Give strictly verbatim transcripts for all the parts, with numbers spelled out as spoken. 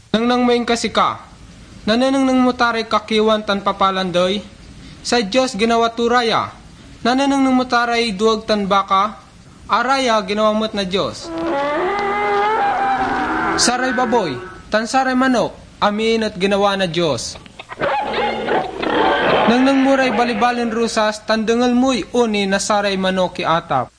Nengneng mo, inkasika. Nanenengneng mo ta ray kakiwan tan papalandey? Say Dios ginawa to ra ya. Nanenengneng mo ta ray dueg tan baka? Araya ginawa met na Dios. Saray baboy tan saray manok, amin et ginawa na Dios. Nengneng mo ray balibalen rosas tan dengel moy oni na saray manok ya atap.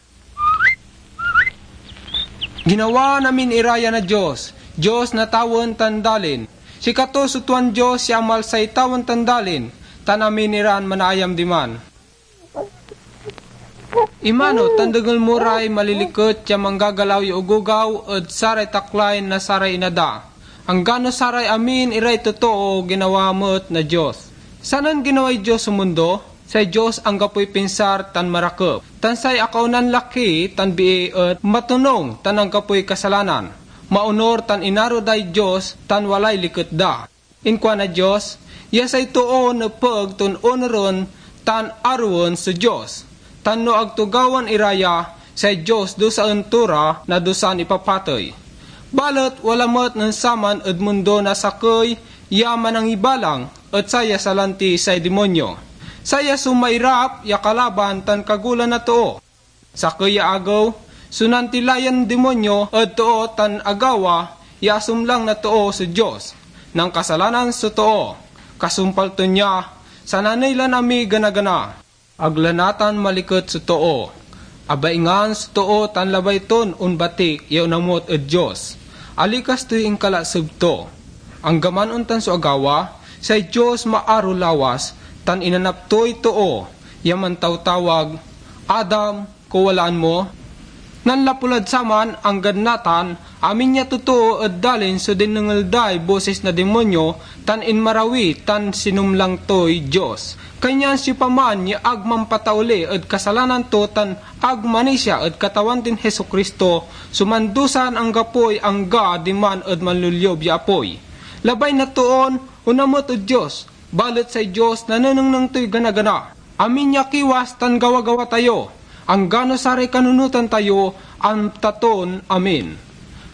Ginawa na amin ira ya na Dios, Dios na tawen tan dalin. Sikato so tuan Dios ya amalsay tawen tan dalin, tan amin iran manaayam diman. Imano tan dengel mo ray maliliket ya manggagalaw ya ogogaw ed saray taklay na saray ina da, anggano saray amin iray totoo ginawa met na Dios. Sanan ginaway Dios so mundo? Say Dios anggapoy pinsar tan marakep, tan say akaonan laki tan bii et matonung tan anggapoy kasalanan. Maonur tan inaro day Dios tan walay liket da. Inkuan na Dios ya say too nepeg ton onuren tan aroen so Dios, tan no ag to gawaen ira ya, say Dios dusaen to ra na dusan ipapatey. Balet wala met nen saman ed mundo na sakey ya manangibalang, et saya salanti say dimonyo. Saya so mairap ya kalaban tan kagolan na too. Sakey ya agew, so nantilayan dimonyo ed too tan agawa ya asumlang na too so Dios. Nankasalanan so too. Kasumpal to nia, sananey lan amiganagana. Ag la natan maliket so too. Abaingan so too tan labay ton onbatik ya onamut ed Dios. Alikas toy inkalaseb to. Anggaman ontan so agawa, say Dios maaro lawas, tan inanap toy too ya mantawtawag, "Adam, kawalaan mo?" Nanlapu lad saman, anggad natan, amin ya totoo ed dalin so dinengel day bosis na dimonyo tan inmarawi tan sinumlang toy Dios. Kanyan siopaman ya ag mampatauli ed kasalanan to tan ag manisia ed Katawan tin Jesu-Cristo so mandusan anggapoy angga diman ed manloliob ya apoy. Labay na toon onamut ed Dios, balet say Dios nanenengneng toy gana-gana. Amin ya kiwas tan gawa-gawa tayo, anggano saray kanunotan tayo, amta ton amin.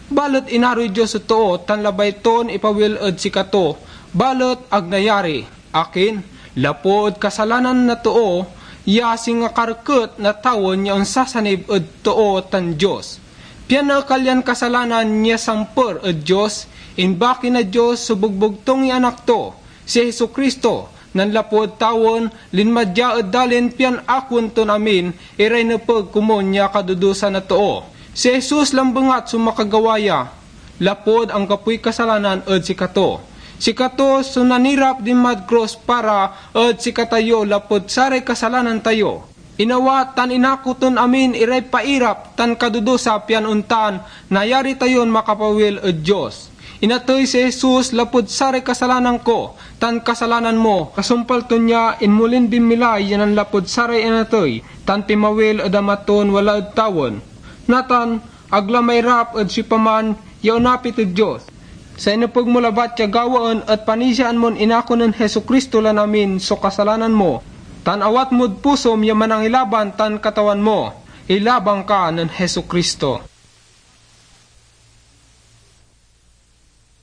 Balet inaroy Dios so too tan labay ton ipawil ed sikato, balet ag nayari. Akin? Lapu ed kasalanan na too ya singa karket na tawen ya onsasanib ed too tan Dios. Pian naekal yan kasalanan ya samper ed Dios, imbaki na Dios so bogbogtung ya Anak to, si Jesu-Cristo. Nanlapu ed tawen, linma dia ed dalin pian akoen ton amin iray nepeg komun ya kadudusa na too. Si Jesus lambengat so makagawa ya, lapud anggapoy kasalanan ed sikato. Sikato so nanirap dinmad krus para ed sikatayo lapud saray kasalanan tayo. Inawat tan inako ton amin iray pairap tan kadudusa, pian ontan nayari tayon makapawil ed Dios. Inatey si Jesus lapud saray kasalanan ko tan kasalanan mo. Kasumpal to nia, inmolin binmilay ya nanlapud saray inatey tan pinmawil ed Ama ton wala ed tawen. Natan, ag la mairap ed siopaman ya onapit ed Dios. Say nepeg mo labat ya gawaen et panisiaan mon inako nen Jesu-Cristo lan amin so kasalanan mo, tan awat mod pusom ya Manangilaban tan Katawan mo. Ilabang ka nen Jesu-Cristo.